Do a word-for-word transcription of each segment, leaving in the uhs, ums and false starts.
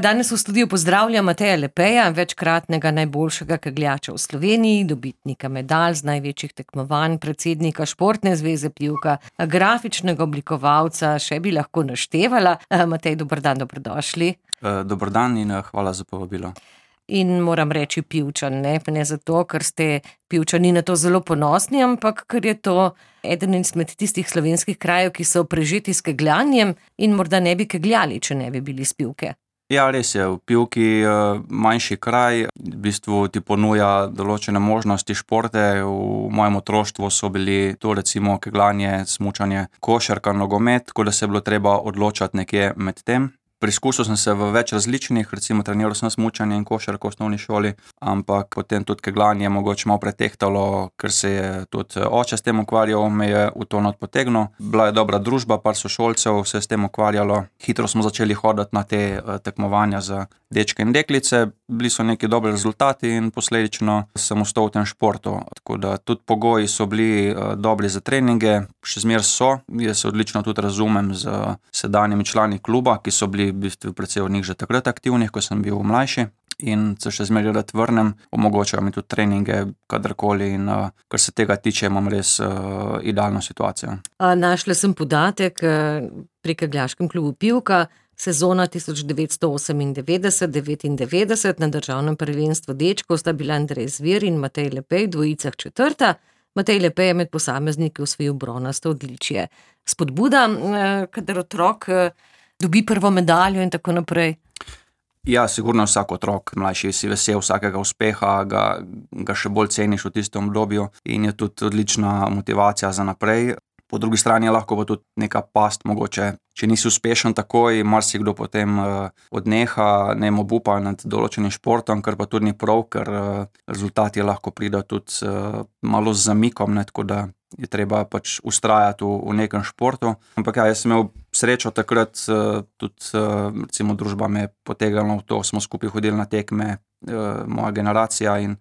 Danes v studiu pozdravljam Mateja Lepeja, večkratnega najboljšega kegljača v Sloveniji, dobitnika medalj z največjih tekmovanj, predsednika Športne zveze Pivka, grafičnega oblikovalca, še bi lahko naštevala. Matej, dober dan, dobrodošli. Dober dan in hvala za povabilo. In moram reči Pivčan, ne, ne zato, ker ste Pivčani na to zelo ponosni, ampak ker je to eden izmed tistih slovenskih krajev, ki so prežeti s kegljanjem in morda ne bi kegljali, če ne bi bili s Pivke. Ja, res je. V Pivki manjši kraj, v bistvu ti ponuja določene možnosti športe. V mojem otroštvu so bili to recimo kegljanje, smučanje, košarka, nogomet, tako da se je bilo treba odločati nekje med tem. Preizkusil sem se v več različnih, recimo treniral sem smučanje in košarko v osnovni šoli, ampak potem tudi kegljanje mogoče malo pretehtalo, ker se je tudi oče s tem ukvarjal, me je v to not potegnil. Bila je dobra družba, par sošolcev se je s tem ukvarjalo. Hitro smo začeli hoditi na te tekmovanja za dečke in deklice, bili so neki dobri rezultati in posledično sem ostal v tem športu. Tako da tudi pogoji so bili dobri za treninge, še zmeraj so. Jaz se odlično tudi razumem z sedanjimi člani kluba, ki so bili v bistvu precej od njih že takrat aktivnih, ko sem bil mlajši in se še zmeraj rad vrnem, omogočajo mi tudi treninge kadarkoli in uh, kar se tega tiče, imam res uh, idealno situacijo. A, našla sem podatek uh, pri kegljaškem klubu Pivka, sezona tisoč devetsto osemindevetdeset devetindevetdeset na državnem prvenstvu dečkov sta bila Andrej Zver in Matej Lepej, dvojicah četrta. Matej Lepej je med posamezniki osvojil bronasto odličje. Spodbuda, uh, kadar otrok uh, dobi prvo medaljo in tako naprej. Ja, sigurno vsak otrok, mlajši si vesel vsakega uspeha, ga, ga še bolj ceniš v tistem obdobju in je tudi odlična motivacija za naprej. Po drugi strani je lahko pa tudi neka past, mogoče, če nisi uspešen takoj, marsikdo potem uh, odneha, ne obupa nad določenim športom, kar pa tudi ni prav, ker uh, rezultati lahko pridejo tudi uh, malo z zamikom, ne, tako da je treba pač ustrajati v, v nekem športu. Ampak ja, jaz sem imel srečo takrat, uh, tudi uh, recimo družba me je potegnila v to, smo skupaj hodili na tekme, uh, moja generacija in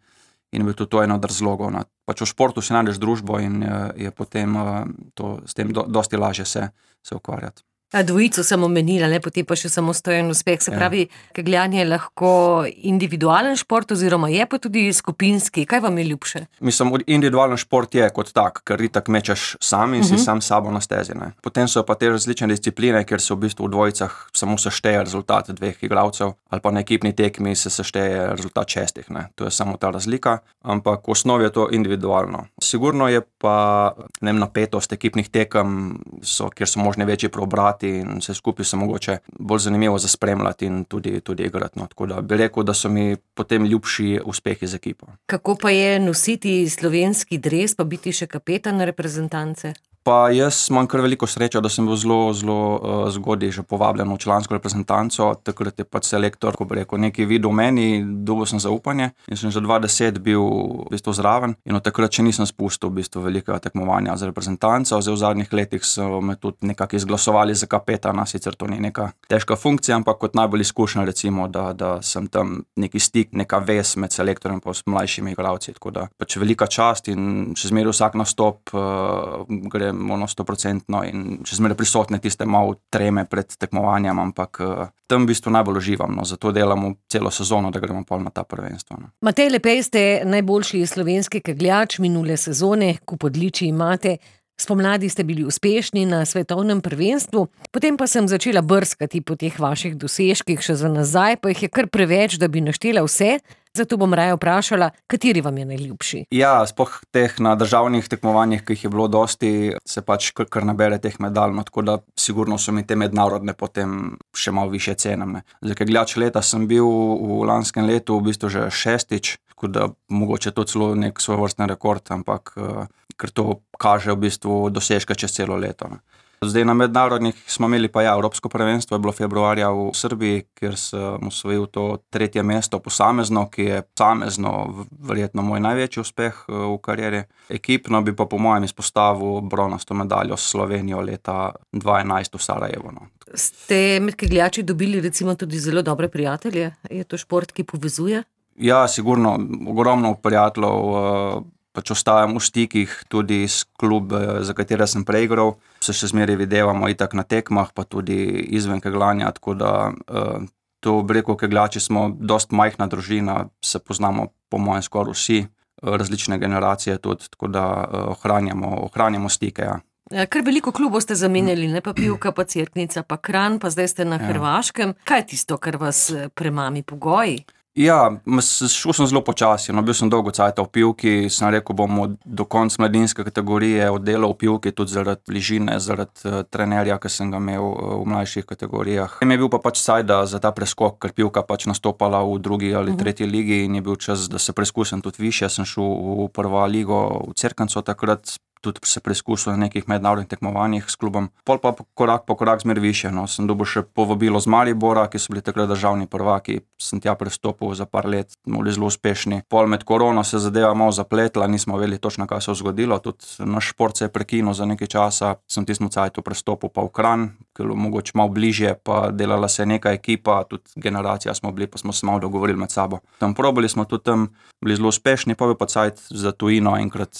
in je bil tudi to eno od razlogov. No. Pač v športu si najdeš družbo in je, je potem uh, to, s tem do, dosti lažje se, se ukvarjati. A dvojico sem omenila, ne, potem pa še samostojen uspeh. Se pravi, ja. Kegljanje je lahko individualen šport oziroma je pa tudi skupinski. Kaj vam je ljubše? Mislim, individualen šport je kot tak, ker itak mečeš sam in uh-huh. si sam sabo na stezi. Ne. Potem so pa te različne discipline, kjer se v bistvu v dvojicah samo sešteje rezultat dveh igralcev ali pa na ekipni tekmi se sešteje rezultat šestih. Ne. To je samo ta razlika, ampak v osnovi je to individualno. Sigurno je pa ne vem, napetost ekipnih tekem, so, kjer so možne večji preobrati in vse skupaj se mogoče bolj zanimivo za spremljati in tudi, tudi igrati. No. Tako da bi rekel, da so mi potem ljubši uspehi z ekipo. Kako pa je nositi slovenski dres, pa biti še kapetan reprezentance? Pa jaz imam kar veliko srečo, da sem bil zelo, zelo uh, zgodaj že povabljen v člansko reprezentanco. Takrat je pač selektor, ko bi rekel, nekaj videl v meni, dobil sem zaupanje in sem že dva deset bil v bistvu zraven in od takrat še nisem spustil v bistvu velikega tekmovanja za reprezentanco. Zdaj v zadnjih letih so me tudi nekako izglasovali za kapetana, sicer to ni neka težka funkcija, ampak kot najbolj izkušnja recimo, da, da sem tam neki stik, neka vez med selektorjem pa s mlajšimi igralci. Tako da pač velika čast in še zmeraj vsak nastop uh, gre ono stoprocentno in še zmeraj prisotne tiste malo treme pred tekmovanjem, ampak uh, tam v bistvu najbolj uživam, no, zato delamo celo sezono, da gremo pol na ta prvenstvo. No. Matej Lepej, ste najboljši slovenski kegljač minule sezone, kup odličij imate. Spomladi ste bili uspešni na svetovnem prvenstvu, potem pa sem začela brskati po teh vaših dosežkih še za nazaj, pa jih je kar preveč, da bi naštela vse. Zato bom raje vprašala, kateri vam je najljubši? Ja, sploh teh na državnih tekmovanjih, ki jih je bilo dosti, se pač kar, kar nabere teh medalj, no, tako da sigurno so mi te mednarodne potem še malo više cenem. Za kegljač leta sem bil v lanskem letu v bistvu že šestič, tako da mogoče to celo nek svojevrstni rekord, ampak ker to kaže v bistvu dosežke čez celo leto. Ne. Zdaj na mednarodnih smo imeli pa ja, Evropsko prvenstvo je bilo februarja v Srbiji, kjer sem osvojil to tretje mesto posamezno, ki je posamezno verjetno moj največji uspeh v karieri. Ekipno bi pa po mojem izpostavil bronasto medaljo s Slovenijo leta dva enajst v Sarajevo. No. Ste med kegljači dobili recimo tudi zelo dobre prijatelje? Je to šport, ki povezuje? Ja, sigurno, ogromno prijateljev, pač ostajam v stikih tudi s klub, za katere sem preigral. Se še zmeraj videvamo itak na tekmah, pa tudi izven kegljanja, tako da uh, bistvu, bi rekel, kegljači smo dost majhna družina, se poznamo po mojem skoraj vsi, različne generacije tudi, tako da ohranjamo, ohranjamo stike, ja. Kar veliko klubov ste zamenjali, ne pa Pivka, pa Cerknica, pa Kranj, pa zdaj ste na ja. Hrvaškem. Kaj je tisto, kar vas premami, pogoji? Ja, šel sem zelo počasi, no, bil sem dolgo cajta v Pivki, sem rekel, bomo do konca mladinske kategorije oddelal v Pivki, tudi zaradi bližine, zaradi uh, trenerja, ki sem ga imel uh, v mlajših kategorijah. In je bil pa pač cajt za ta preskok, ker Pivka pač nastopala v drugi ali tretji ligi in je bil čas, da se preizkusim tudi više. Sem šel v prvo ligo v Cerknico takrat, tudi se preizkusil na nekih mednarodnih tekmovanjih s klubom. Pol pa korak po korak zmer više, no. Sem dobil še povabilo z Maribora, ki so bili takrat državni prvaki, sem tja prestopil za par let, bili zelo uspešni. Pol med korono se zadeva malo zapletla, nismo vedeli točno, kaj se je zgodilo, tudi naš šport se je prekinil za nekaj časa, sem tistem cajtu prestopil pa v Kranj, ker mogoče malo bližje, pa delala se je neka ekipa, tudi generacija smo bili, pa smo se malo dogovorili med sabo. Tam probali smo tudi tam, bili zelo uspešni, pa bi pa cajt za tujino enkrat,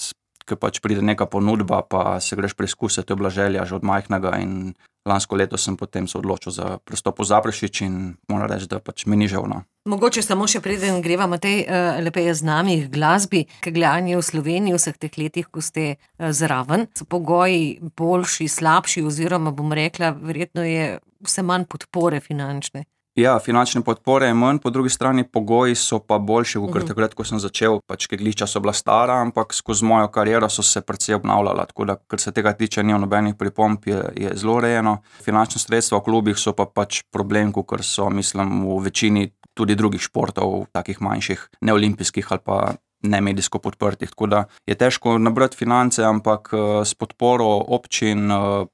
ker pač pride neka ponudba, pa se greš preizkusiti, to je bila želja že od majhnega in lansko leto sem potem se odločil za prestop v Zaprešič in moram reči, da pač mi ni žal, no. Mogoče samo še preden greva, Matej, lepo je z nami k glasbi, kegljanje v Sloveniji vseh teh letih, ko ste zraven. So pogoji boljši, slabši oziroma bom rekla, verjetno je vse manj podpore finančne. Ja, finančne podpore je manj, po drugi strani pogoji so pa boljši, ker uh-huh. takrat, ko sem začel, pač kegljišča so bila stara, ampak skozi mojo kariero so se precej obnavljala, tako da, kar se tega tiče, ni nobenih pripomb, je, je zelo rejeno. Finančne sredstva v klubih so pa pač problem, ker so, mislim, v večini tudi drugih športov, takih manjših, neolimpijskih ali pa ne medijsko podprtih, tako da je težko nabrati finance, ampak s podporo občin,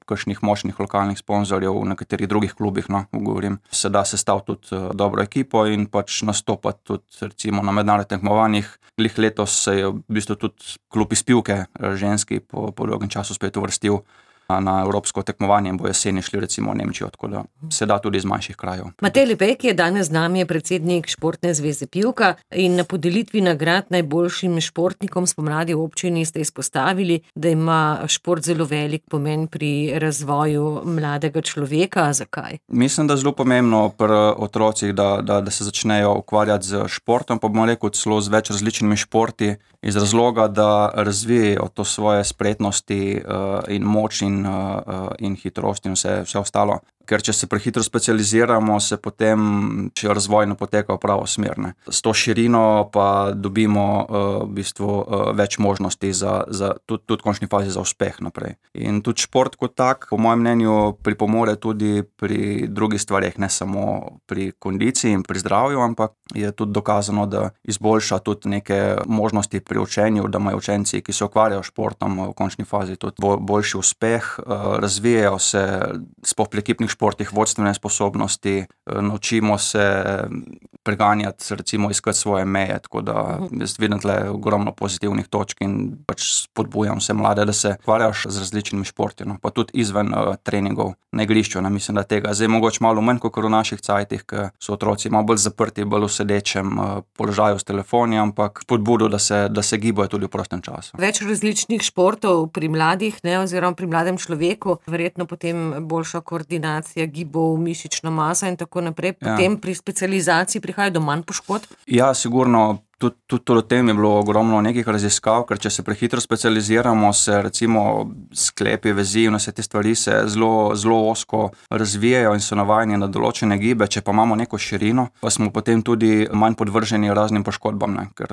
kakšnih močnih lokalnih sponzorjev v nekaterih drugih klubih, no, govorim, se da sestaviti tudi dobro ekipo in pač nastopati tudi recimo na mednarodnih tekmovanjih. Glih letos se je v bistvu tudi klub iz Pivke, ženski, po, po dolgem času spet uvrstil na evropsko tekmovanje in bo jeseni šli recimo v Nemčijo, tako da se da tudi iz manjših krajev. Matej Lepej, ki je danes z nami, je predsednik Športne zveze Pivka in na podelitvi nagrad najboljšim športnikom spomladi v občini ste izpostavili, da ima šport zelo velik pomen pri razvoju mladega človeka. Zakaj? Mislim, da je zelo pomembno pri otrocih, da, da, da se začnejo ukvarjati z športom, pa bom rekel celo z več različnimi športi, iz razloga, da razvijajo to svoje spretnosti uh, in moč in in hitrost in vse, vse ostalo. Ker če se prehitro specializiramo, se potem, če razvoj ne poteka v pravo smer, ne. S to širino pa dobimo uh, v bistvu uh, več možnosti za, za tudi, tudi v končni fazi za uspeh naprej. In tudi šport kot tak, po mojem mnenju, pripomore tudi pri drugih stvareh, ne samo pri kondiciji in pri zdravju, ampak je tudi dokazano, da izboljša tudi neke možnosti pri učenju, da imajo učenci, ki se ukvarjajo športom, v končni fazi tudi boljši uspeh, uh, razvijajo se sploh pri ekipnih športih vodstvene sposobnosti, naučimo se preganjati, recimo iskati svoje meje, tako da jaz vidim tle ogromno pozitivnih točk in pač spodbujam vse mlade, da se ukvarjaš z različnimi športi, no, pa tudi izven uh, treningov na igrišču, ne, mislim, da tega zdaj mogoče malo manj kot v naših cajtih, ker so otroci malo bolj zaprti, bolj v sedečem uh, položaju s telefoni, ampak spodbudo, da se, da se gibajo tudi v prostem času. Več različnih športov pri mladih, ne, oziroma pri mladem človeku, verjetno potem boljša koordinacija gibov, mišična masa in tako naprej. Potem ja. Pri specializaciji prihaja do manj poškodb? Ja, sigurno. Tudi, tudi o tem je bilo ogromno nekih raziskav, ker če se prehitro specializiramo, se recimo sklepi, vezi in vse te stvari se zelo, zelo ozko razvijajo in so navajeni na določene gibe, če pa imamo neko širino, pa smo potem tudi manj podvrženi raznim poškodbam, ne? Ker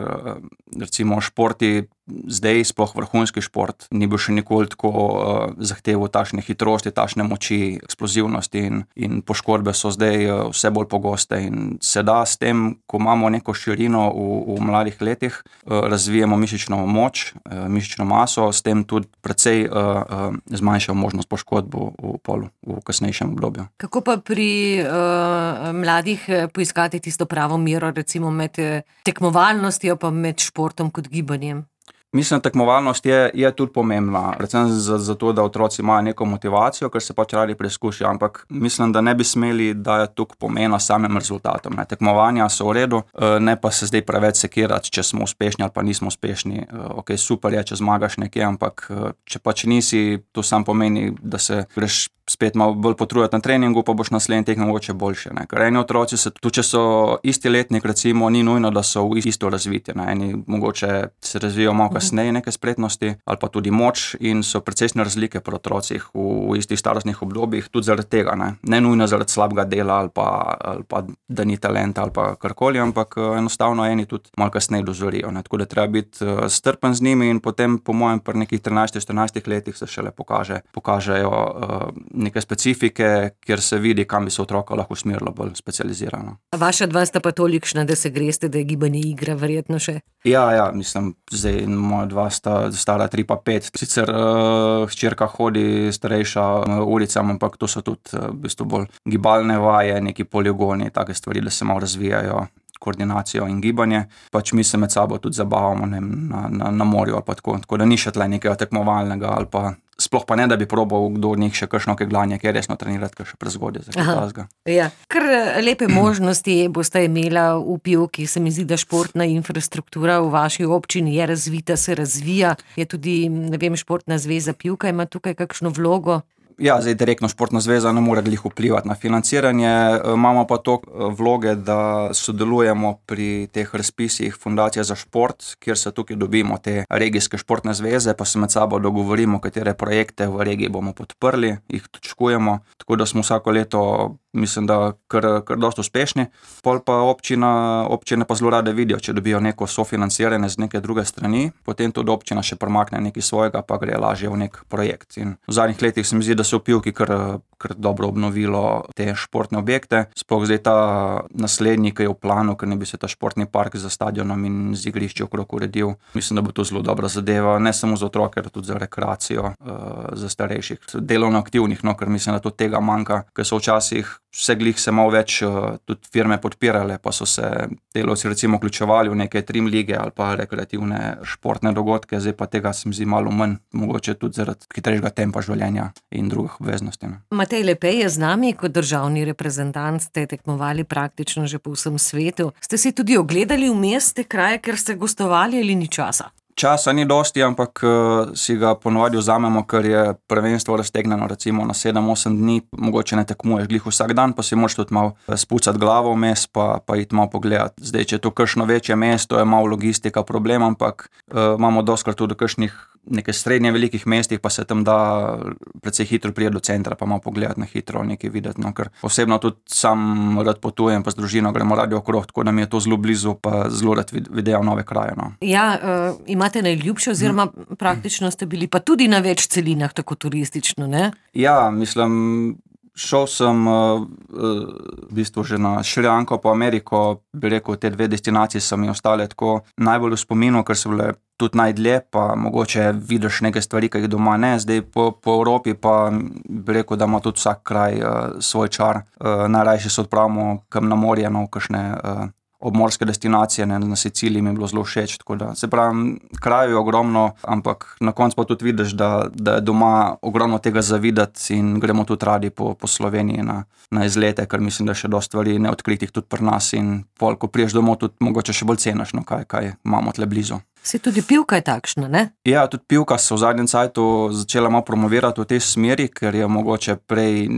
recimo športi zdaj, sploh vrhunski šport, ni bil še nikoli tako uh, zahteval takšne hitrosti, takšne moči, eksplozivnosti in, in poškodbe so zdaj uh, vse bolj pogoste in se da s tem, ko imamo neko širino v, v mladih letih, uh, razvijemo mišično moč, uh, mišično maso, s tem tudi precej uh, uh, zmanjšajo možnost poškodb v polu v kasnejšem obdobju. Kako pa pri uh, mladih poiskati tisto pravo mero, recimo med tekmovalnostjo pa med športom kot gibanjem? Mislim, tekmovalnost je, je tudi pomembna, predvsem zato, za da otroci imajo neko motivacijo, ker se pač radi preizkušijo, ampak mislim, da ne bi smeli dajati toliko pomena samim rezultatom. Ne. Tekmovanja so v redu, ne pa se zdaj preveč sekirati, če smo uspešni ali pa nismo uspešni. Ok, super je, če zmagaš nekje, ampak če pač nisi, to sam pomeni, da se greš spet malo bolj potruditi na treningu, pa boš naslednji tekmo mogoče boljše. Ne. Ker eni otroci, se, tudi če so isti letnik, recimo, ni nujno, da so v isto razviti. Ne. Eni mogoče se razvijajo malo kasneje neke spretnosti ali pa tudi moč in so precejšnje razlike pri otrocih v, v istih starostnih obdobjih, tudi zaradi tega. Ne, ne nujno zaradi slabega dela ali pa, ali pa da ni talenta ali pa karkoli, ampak enostavno eni tudi malo kasneje dozorijo. Ne. Tako da treba biti strpen z njimi in potem, po mojem, pri nekih trinajstih štirinajstih letih se šele pokaže, pokažejo uh, neke specifike, kjer se vidi, kam bi se otroka lahko usmerilo bolj specializirano. Vaša dva sta pa tolikšna, da se greste, da je gibanje igra verjetno še? Ja, ja, mislim, zdaj moja dva sta stara tri pa pet. Sicer uh, hčerka hodi starejša uh, ulicam, ampak to so tudi uh, v bistvu bolj gibalne vaje, neki poligoni, take stvari, da se malo razvijajo, koordinacijo in gibanje. Pač mi se med sabo tudi zabavamo ne, na, na, na morju ali pa tako. Tako da ni še tle nekega tekmovalnega ali pa sploh pa ne, da bi probal kdo od njih še kakšno keglanje, ki je resno trenirati, kar še prezgodje za kaj. Ja, kar lepe možnosti boste imela v Pivki. Se mi zdi, da športna infrastruktura v vaši občini je razvita, se razvija. Je tudi, ne vem, Športna zveza Pivka ima tukaj kakšno vlogo? Ja, zdaj direktno Športna zveza ne more glih vplivati na financiranje, imamo pa to vloge, da sodelujemo pri teh razpisih Fundacije za šport, kjer se tukaj dobimo te regijske športne zveze, pa se med sabo dogovorimo, katere projekte v regiji bomo podprli, jih točkujemo, tako da smo vsako leto, mislim, da kar, kar dosti uspešni. Pol pa občina, občine pa zelo rade vidijo, če dobijo neko sofinanciranje z neke druge strani, potem tudi občina še premakne nekaj svojega, pa gre lažje v nek projekt. In v zadnjih letih se mi zdi, da se v Pivki kar, kar dobro obnovilo te športne objekte. Sploh zdaj ta naslednji, ki je v planu, ker ne bi se ta športni park za stadionom in z igrišči okrog uredil. Mislim, da bo to zelo dobra zadeva, ne samo za otroke, tudi za rekreacijo, za starejših, delovno aktivnih, no, ker mislim, da to tega manjka, ker so včasih vse glih se malo več tudi firme podpirale, pa so se delavci recimo vključevali v neke trim lige ali pa rekreativne športne dogodke, zdaj pa tega se mi zdi malo manj, mogoče tudi zaradi hitrejšega tempa življenja in drugih obveznosti. Ne. Matej Lepej je z nami, kot državni reprezentant ste tekmovali praktično že po vsem svetu. Ste si tudi ogledali vmes te kraje, ker ste gostovali ali ni časa? Časa ni dosti, ampak uh, si ga ponovadi vzamemo, ker je prvenstvo raztegnjeno recimo na sedem osem dni, mogoče ne tekmuješ glih vsak dan, pa si moraš tudi malo spucati glavo vmes, pa, pa iti malo pogledati. Zdaj, če je to kakšno večje mesto, je malo logistika problem, ampak uh, imamo dostkrat tudi kakšnih nekaj srednje velikih mestih, pa se tam da precej hitro priti do centra, pa malo pogledati na hitro, nekaj videti, no, ker osebno tudi sam rad potujem, pa z družino gremo radi okrog, tako da mi je to zelo blizu, pa zelo rad videl nove kraje. No. Ja, uh, imate najljubše, oziroma praktično ste bili pa tudi na več celinah, tako turistično, ne? Ja, mislim, šel sem uh, v bistvu že na Šrilanko pa Ameriko, bi rekel, te dve destinaciji so mi ostale tako najbolj v spominu, ker so bile tudi najdlje, pa mogoče vidiš neke stvari, ki jih doma ne. Zdaj po, po Evropi pa bi rekel, da ima tudi vsak kraj uh, svoj čar. Uh, najrajši se odpravimo kam na morje, no, kakšne uh, obmorske destinacije, ne, na Siciliji mi je bilo zelo všeč, tako da se pravi, kraj je ogromno, ampak na koncu pa tudi vidiš, da, da je doma ogromno tega zavidati in gremo tudi radi po, po Sloveniji na, na izlete, ker mislim, da še dosti stvari neodkritih tudi pri nas in pol, ko priješ domov, tudi mogoče še bolj ceniš, no, kaj, kaj imamo tle blizu. Se tudi Pivka je takšna, ne? Ja, tudi Pivka se v zadnjem cajtu začela malo promovirati v tej smeri, ker je mogoče prej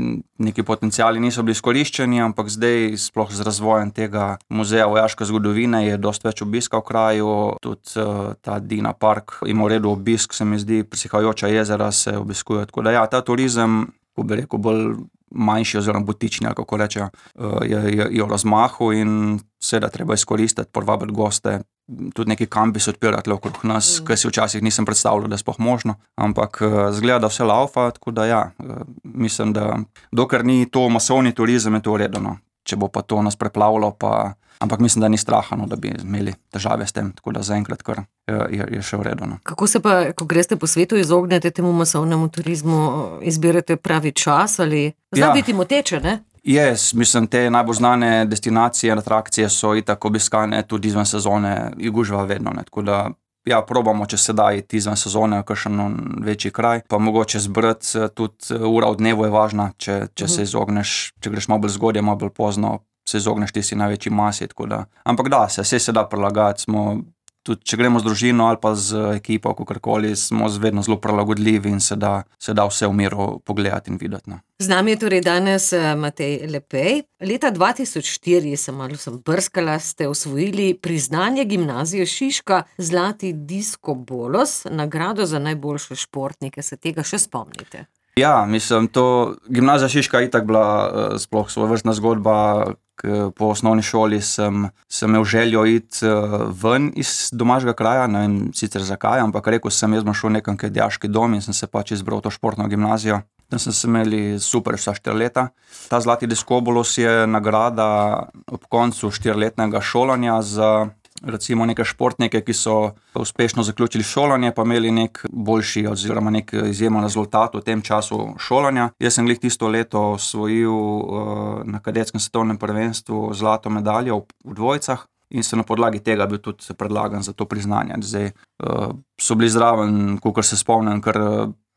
neki potenciali niso bili izkoriščeni, ampak zdaj sploh z razvojem tega muzeja vojaške zgodovine je dosti več obiska v kraju, tudi uh, ta Dina Park ima v redu obisk, se mi zdi, prisihajajoča jezera se obiskujejo, tako da ja, ta turizem, ko bi rekel, bolj manjši oziroma butični, ali kako rečejo, je, je, je v razmahu in seveda treba izkoristiti, povabiti goste, tudi neki kampi se odpirati okrog nas, mm. ker si včasih nisem predstavljal, da je sploh možno, ampak zgleda, da vse laufa, tako da ja, mislim, da dokler ni to masovni turizem, je to v redu, no. Če bo pa to nas preplavilo, pa ampak mislim, da ni straha, no, da bi imeli težave s tem, tako da zaenkrat kar je, je še v redu. No. Kako se pa, ko greste po svetu, izognete temu masovnemu turizmu, izbirate pravi čas ali zna ja. biti moteče, ne? Yes, mislim, te najbolj znane destinacije, atrakcije so itak obiskane tudi izven sezone, jih gužva vedno, ne, tako da ja, probamo, če se da iti izven sezone, kakšen večji kraj, pa mogoče zbrati, tudi ura v dnevu je važna, če, če se izogneš, če greš malo bolj zgodje, malo bolj pozno, se izogneš ti si največji masi, tako da, ampak da se, vse se da prilagajati, smo tudi če gremo z družino ali pa z ekipo, kakorkoli, smo vedno zelo prilagodljivi in se da, se da vse v miru pogledati in videti. No. Z nami je torej danes Matej Lepej. Leta dva tisoč štiri, sem malo sem brskala, ste osvojili priznanje Gimnazije Šiška Zlati disko bolos, nagrado za najboljše športnike. Se tega še spomnite? Ja, mislim, to Gimnazija Šiška je itak bila uh, sploh svojevrstna zgodba. Po osnovni šoli sem, sem imel željo iti uh, ven iz domačega kraja, ne vem sicer zakaj, ampak rekel sem, jaz bom šel nekam k dijaški dom in sem se pač izbral to športno gimnazijo. Tam sem se imeli super vsa štiri leta. Ta Zlati disko bolos je nagrada ob koncu štiriletnega šolanja za recimo neke športnike, ki so uspešno zaključili šolanje, pa imeli nek boljši oziroma nek izjemen rezultat v tem času šolanja. Jaz sem glih tisto leto osvojil uh, na kadetskem svetovnem prvenstvu zlato medaljo v dvojicah in sem na podlagi tega bil tudi predlagan za to priznanje. Zdaj uh, so bili zraven, kakor se spomnim, kar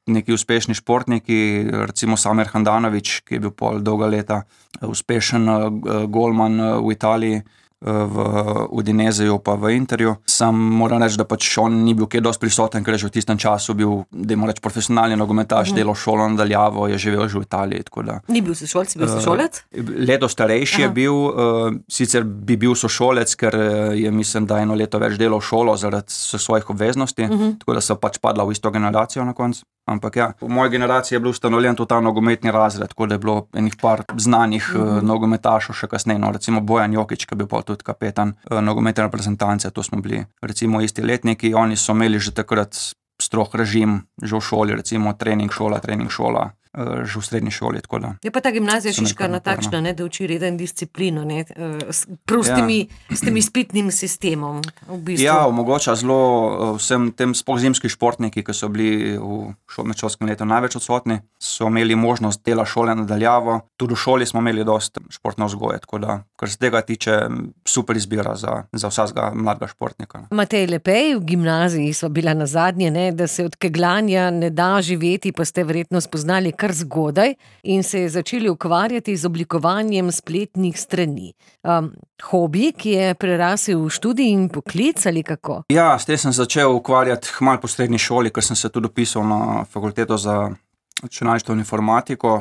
neki uspešni športniki, recimo Samir Handanović, ki je bil pol dolga leta uspešen uh, golman uh, v Italiji, v Udineseju pa v Interju. Sam moram reči, da pač on ni bil kaj dosti prisoten, ker je že v tistem času bil, dajmo reči, profesionalni nogometaš, mm. delal šolo nadaljavo, je živel že v Italiji. Da, ni bil sošolec, bil sošolec? Uh, leto starejši Aha. je bil, uh, sicer bi bil sošolec, ker je, mislim, da eno leto več delal šolo zaradi svojih obveznosti, mm-hmm. tako da so pač padla v isto generacijo na koncu. Ampak ja, v moji generaciji je bil ustanovljen tudi ta nogometni razred, tako da je bilo enih par znanih mm-hmm. uh, nogometašov še kasneje, no, recimo Bojan Jokić, ki je bil pa tudi kapetan uh, nogometne reprezentance, to smo bili recimo isti letniki, oni so imeli že takrat strog režim, že v šoli, recimo trening šola, trening šola, uh, že v srednji šoli, tako da. Je pa ta Gimnazija Šiška na takšna, ne, da uči reden disciplino, ne, s, s, temi, ja. s temi spitnim sistemom, v bistvu. Ja, omogoča zelo vsem tem sploh zimski športniki, ki so bili v medšolskem letu največ odsotni, so imeli možnost dela šole nadaljavo, tudi v šoli smo imeli dosti športne vzgoje, tako da, kar se tega tiče, super izbira za, za vsakega mladega športnika. Matej Lepej, v gimnaziji sva bila na zadnje, ne, da se od keglanja ne da živeti, pa ste verjetno spoznali kar zgodaj in se začeli ukvarjati z oblikovanjem spletnih strani. Um, hobi, ki je prerasel v študij in poklic ali kako? Ja, s tem sem začel ukvarjati malo po srednji šoli, ker sem se tudi upisal na fakulteto za računalništvo in informatiko,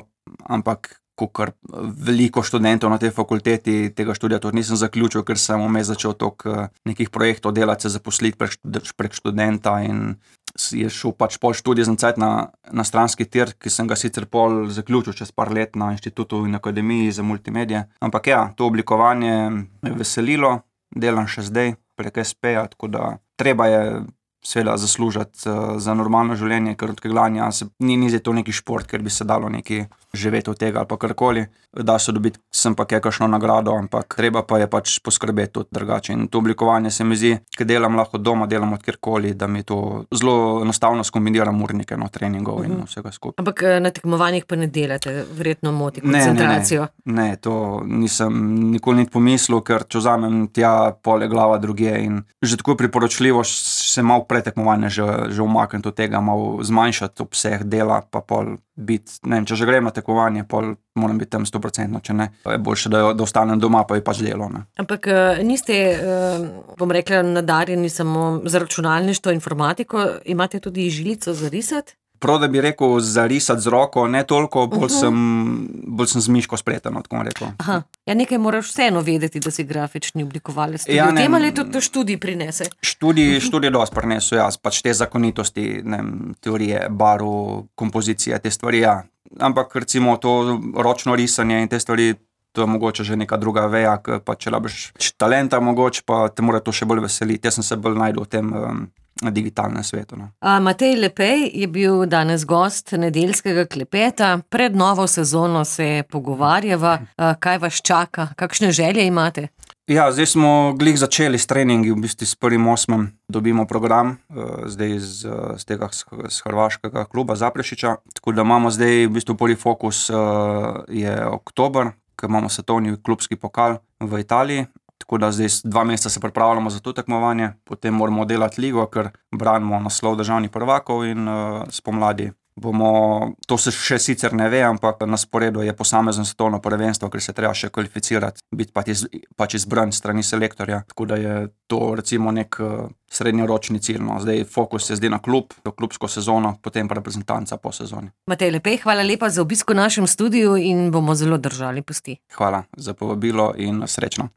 ampak kakor veliko študentov na tej fakulteti tega študija tudi nisem zaključil, ker sem vmes začel toliko nekih projektov delati, se zaposliti prek, prek študenta in je šel pač pol študij za cajt na, na stranski tir, ki sem ga sicer pol zaključil čez par let na inštitutu in akademiji za multimedije. Ampak ja, to oblikovanje me je veselilo, delam še zdaj prek es peja, tako da treba je seveda zaslužiti uh, za normalno življenje, ker od keglanja se, ni, ni to neki šport, ker bi se dalo neki živeti od tega ali pa karkoli. Da se dobiti sem pa kakšno nagrado, ampak treba pa je pač poskrbeti tudi drugače. In to oblikovanje se mi zdi, ker delam lahko doma, delam od kjerkoli, da mi to zelo enostavno skombiniram urnike, no, treningov uh-huh. in vsega skupaj. Ampak na tekmovanjih pa ne delate, verjetno moti koncentracijo? Ne, ne, ne. ne, to nisem nikoli niti pomislil, ker če vzamem tja pole glava drugje in že tako priporočljivo se malo pretekmovanje že, že umakniti od tega, malo zmanjšati obseg dela, pa pol biti, ne vem, če že grem na tekmovanje, pol moram biti tam sto procentno, če ne, je boljše, da, da ostanem doma, pa je pač delo. Ne. Ampak niste, bom rekla, nadarjeni samo za računalništvo, informatiko, imate tudi žilico za risati? Prav, da bi rekel za risati z roko, ne toliko, bolj, uh-huh. sem, bolj sem z miško spreten, tako bom rekel. Aha. Ja, nekaj moraš vseeno vedeti, da si grafični oblikovalec. Ja, v tem ali tudi to študij prinese? Študij, študij dosti prinesel, ja, pač te zakonitosti, ne, teorije, barv, kompozicije, te stvari, ja. Ampak recimo to ročno risanje in te stvari, to je mogoče že neka druga veja, pa če labiš talenta mogoče, pa te mora to še bolj veseliti. Jaz sem se bolj najdel v tem um, digitalnem svetu. No. A, Matej Lepej je bil danes gost nedeljskega klepeta. Pred novo sezono se pogovarjava. A, kaj vas čaka? Kakšne želje imate? Ja, zdaj smo glih začeli s treningi, v bistvu s prvim osmem dobimo program, zdaj z, z tega z hrvaškega kluba Zaprešića, tako da imamo zdaj v bistvu prvi fokus je oktober, ker imamo svetovni klubski pokal v Italiji, tako da zdaj dva meseca se pripravljamo za to tekmovanje, potem moramo delati ligo, ker branimo naslov državnih prvakov in spomladi bomo, to se še sicer ne ve, ampak na sporedu je posamezno svetovno prvenstvo, ker se treba še kvalificirati, biti pač, iz, pač izbran strani selektorja, tako da je to recimo nek uh, srednjeročni cilj. No. Zdaj fokus je zdaj na klub, to klubsko sezono, potem pa reprezentanca po sezoni. Matej Lepej, hvala lepa za obisk v našem studiu in bomo zelo držali pesti. Hvala za povabilo in srečno.